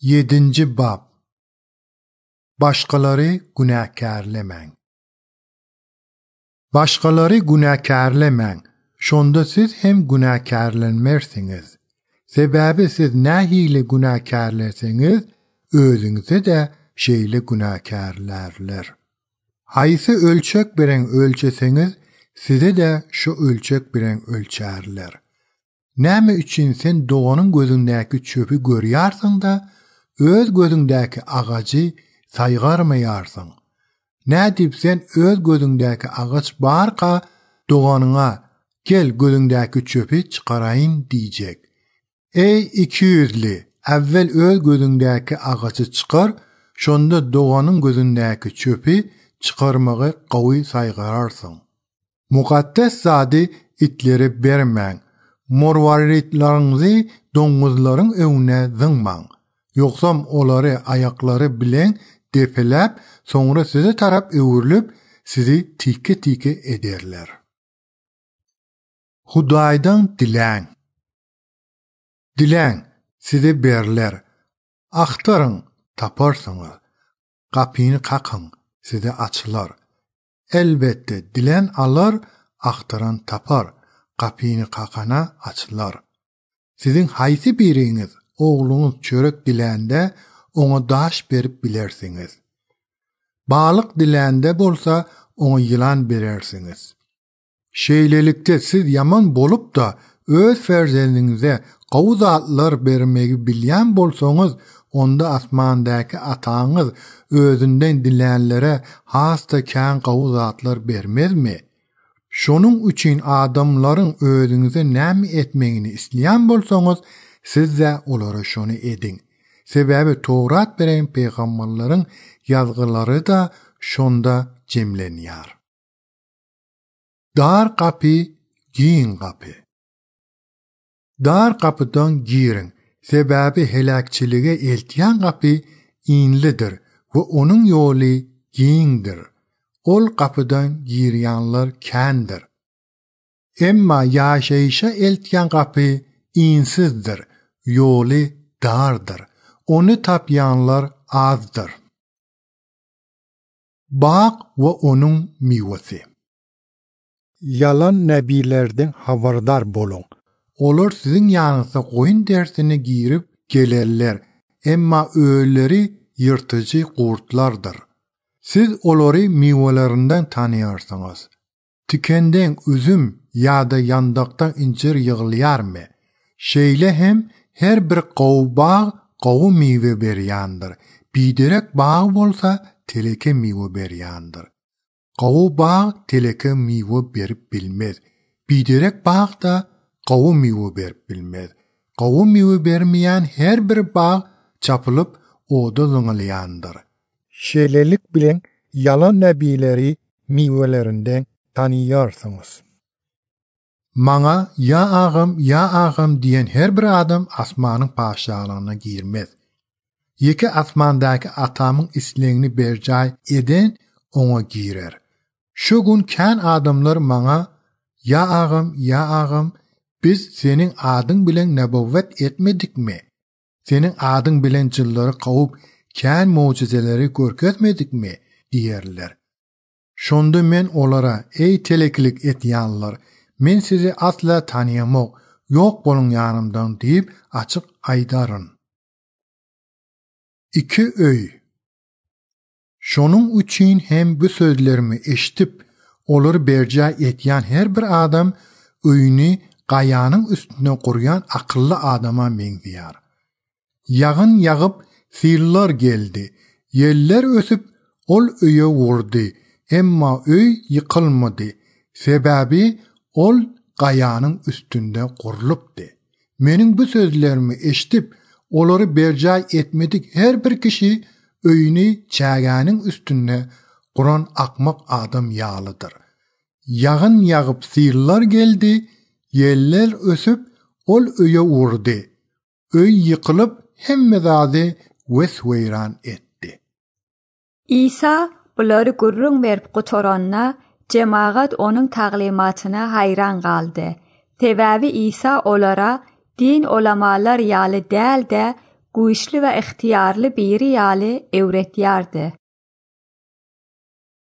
7. Bab. Başqaları günahkarləməng. Başqaları günahkarləməng. Şonda siz hem günahkarlənmərsiniz. Sebebi siz nəhiyle günahkarlərsiniz, özünüzü də şeyle günahkarlarlar. Haysı ölçek bilen ölçesiniz, size de şu ölçek bilen ölçerler. Näme üçün sen doğanın gözündäki çöpü görýärsiň da, öz gözündäki agacı saygarmayarsın. Nä dip sen öz gözündäki agaç barqa doğanyňa gel gözündäki çöpü çıkarayın diýjek. Ey iki yüzli, evvel öz gözündäki agaçy çıkar, şonda doğanyň gözündäki çöpü çıkarmagy gowy saygararsın. Mukaddes zady itleri bermäň. Morwaritlaryňyzy doňuzlaryň öňüne zyňmaň. Yoksam olary ayaklary bilen depeläp, soňra size tarap öwürlüp, sizi tike ederler. Hudaýdan diläň. Diläň, size berler. Aktaryň, taparsyňyz. Kapyny kakyň, size açylar. Elbette dilen alar, aktaran tapar. Kapyny kakana açylar. Sizin haýsy biriňiz oğluňyz çörek dilände oňa daş berip bilersiňiz. Balyk dilände bolsa oňa ýylan berersiňiz. Şeýlelikde siz yaman bolup da öz ferzendiňize gowy zatlar bermegi bilýän bolsaňyz, onda asmandaky ataňyz özünden dilänlere hasta kän gowy zatlar bermezmi? Şonun üçün adamlaryň özüňize näme etmegini isleýän bolsaňyz, siz de olara şonu edin. Sebebi Towrat beren peýgamberleriň ýazgylary da şonda jemlenýär. Dar kapy, giň kapy. Dar kapydan girin. Sebebi helakçilige eltýän kapy inlidir we onuň ýoly giňdir. Ol kapıdan girýänler kändir. Emma ýaşaýşa eltýän kapy insizdir, ýoly dardyr. Onu tapýanlar azdyr. Baq we onuň miwesi. Yalan nebilerden habardar bolun. Olar sizin ýanyňyza goýun dersini girip gelerler. Emma öýleri ýyrtyjy gurtlardyr. Siz olary miwelerinden tanýarsyňyz. Tikenden üzüm ýa-da ýandakdan incir ýygylýarmy? Şeýle hem her bir gowy bag gowy miwe berýändir. Biderek bag bolsa teleke miwe berýändir. Gowy bag teleke miwe berip bilmez. Biderek bag da gowy miwe berip bilmez. Gowy miwe bermeýän her bir bag çapylyp oda zyňylýandyr. Şeýlelik bilen yalan nebileri miwelerinden tanýarsyňyz. Maňa ya ağam diýen her bir adam asmanyň paşalygyna girmez. Ýeki asmandaky atamyň islegini berjay eden oňa girer. Şu gün kän adamlar maňa ya ağam biz senin adyň bilen nebawet etmedikmi? Senin adyň bilen jyllary gowy kän mucizeleri görkezmedikmi diýerler. Şonda men olara ey teleklik etýänler, men sizi asla tanýamok, ýok bolun ýanymdan diýip açyk aýdaryn. 2 öý. Şonuň üçin hem bu sözlerimi eşitip olary berjä etýän her bir adam öýüni gaýanyň üstüne gurýan akylly adama meňdýär. Ýagyn ýagyp sirlar geldi. Yeller ösüp ol öýe wurdy. Emma öý ýykylmady. Sebebi ol gaýanyň üstünde gurulupdy. Meniň bu sözlerimi eşitip olary berjä etmedik her bir kişi öýüni çägäniň üstüne guran akmak adam ýalydyr. Ýagyn ýagyp sirlar geldi. Yeller ösüp ol öýe wurdy. Öý ýykylyp hemme zady wesweyran etdi. İsa bulary gurrun berip gutoranna cemaat onun taglimatyna hayran galdy. Sebebi İsa olara din ulamalar ýaly däl de güýçli we ihtiyarly biri ýaly öwretýärdi.